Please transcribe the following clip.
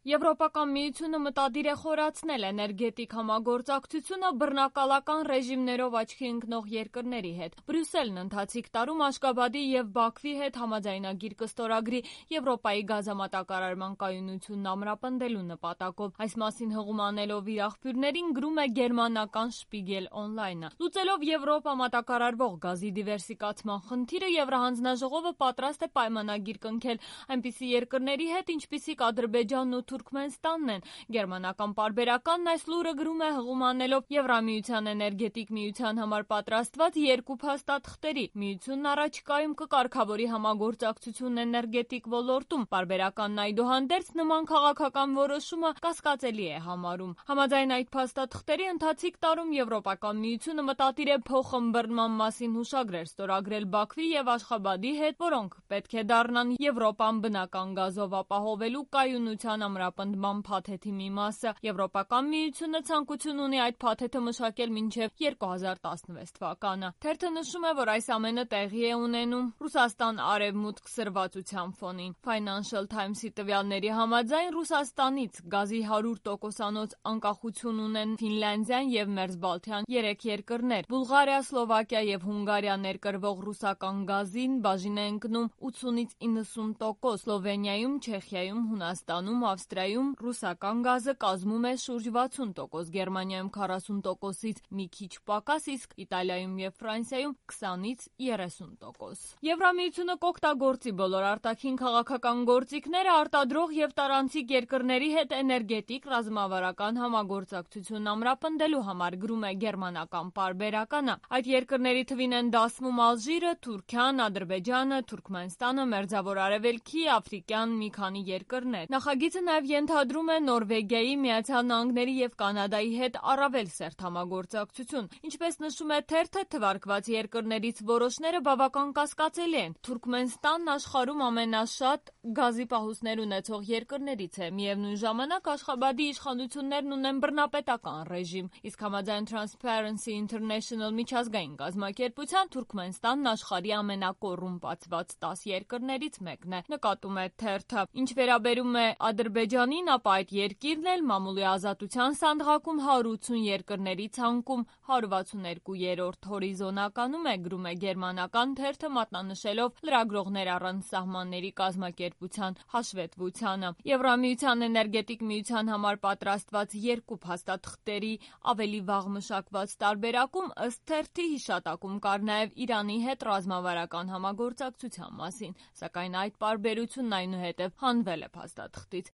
Եվրոպական միությունը մտադիր է խորացնել էներգետիկ համագործակցությունը բռնակալական ռեժիմներով աչքի ընկնող երկրների հետ։ Բրյուսելն ընթացիկ տարում Աշգաբադի և Բաքվի հետ համաձայնագիր կստորագրի Եվրոպայի գազամատակարարման կայունությունն ամրապնդելու նպատակով։ Այս մասին հղում անելով իր աղբյուրներին գրում է գերմանական Շպիգել օնլայնը։ Լուծելով Եվրոպա մատակարարվող գազի դիվերսիֆիկացման խնդիրը, Եվրահանձնաժողովը պատրաստ է պայմանագիր կնքել այնպիսի երկրների հետ, ինչպիսիք Ադրբեջանն ու Թուրքմենստանն են։ Գերմանական պարբերականն այս լուրը գրում է հղում անելով Եվրամիության էներգետիկ միության համար պատրաստված երկու փաստաթղթերի։ Միությունն առաջիկայում կկարգավորի համագործակցությունն էներգետիկ ոլորտում։ Պարբերականն այդուհանդերձ նման քաղաքական որոշումը կասկածելի է համարում։ Համաձայն այդ փաստաթղթերի, ընթացիկ տարում Եվրոպական միությունը մտադիր է փոխըմբռնման մասին հուշագրեր ստորագրել Բաքվի և Աշխաբադի հետ, որոնք պետք է դառնան Եվրոպան բնական գազով ապահովելու կայունության ամրապնդման փաթեթի մի մասը։ Եվրոպական միությունը ցանկություն ունի այդ փաթեթը մշակել մինչև 2016 թվականը։ Թերթը նշում է, որ այս ամենը տեղի է ունենում Ռուսաստան-արևմուտք սրվածության ֆոնին։ Financial Times-ի տվյալների համաձայն Ռուսաստանից գազի 100%-անոց անկախություն ունեն Ֆինլանդիան և Մերձբալթյան 3 երկրներ։ Բուլղարիա, Սլովակիա և Հունգարիա ներկրվող ռուսական գազին բաժին է ընկնում 80-ից 90%։ Սլովենիայում, Չեխիայում, Հունաստանում, Ավստրիայում ռուսական գազը կազմում է շուրջ 60%, Գերմանիայում 40%-ից մի քիչ պակաս, իսկ Իտալիայում և Ֆրանսիայում 20-ից 30%։ Եվրամիությունը կօգտագործի բոլոր արտաքին քաղաքական գործիքները արտադրող և տարանցիկ երկրների հետ էներգետիկ ռազմավարական համագործակցությունն ամրապնդելու համար, գրում է գերմանական պարբերականը։ Այդ երկրների թվին են դասվում Ալժիրը, Թուրքիան, Ադրբեջանը, Թուրքմենստանը, Մերձավոր Արևելքի, աֆրիկյան մի քանի երկրներ։ Նախագիծը նաև ենթադրում է Նորվեգիայի, Միացյալ Նահանգների և Կանադայի հետ առավել սերտ համագործակցություն։ Ինչպես նշում է թերթը, թվարկված երկրներից որոշները բավական կասկածելի են։ Թուրքմենստանն աշխարհում ամենաշատ գազի պահուստներ ունեցող երկրներից է։ Միևնույն ժամանակ Աշխաբադի իշխանություններն ունեն բռնապետական ռեժիմ, իսկ համաձայն Transparency International միջազգային կազմակերպության Թուրքմենստանն աշխարհի ամենակոռումպացված 10 երկրներից մեկն է։ Նկատում է թերթը։ Ինչ վերաբերում է Ադրբեջանին, ապա այդ երկիրն էլ մամուլի ազատության սանդղակում 180 երկրների ցանկում 162-րդ հորիզոնականում է, գրում է գերմանական թերթը, մատնանշելով լրագրողներ առանց սահմանների կազմակերպության հաշվետվությանը։ Եվրամիության էներգետիկ միության համար պատրաստված երկու փաստաթղթերի ավելի վաղ մշակված տարբերակում ըստ թերթի հիշատակում կար նաև Իրանի հետ ռազմավարական համագործակցության մասին, սակայն այդ պարբերությունն այնուհետև հանվել է փաստաթղթից։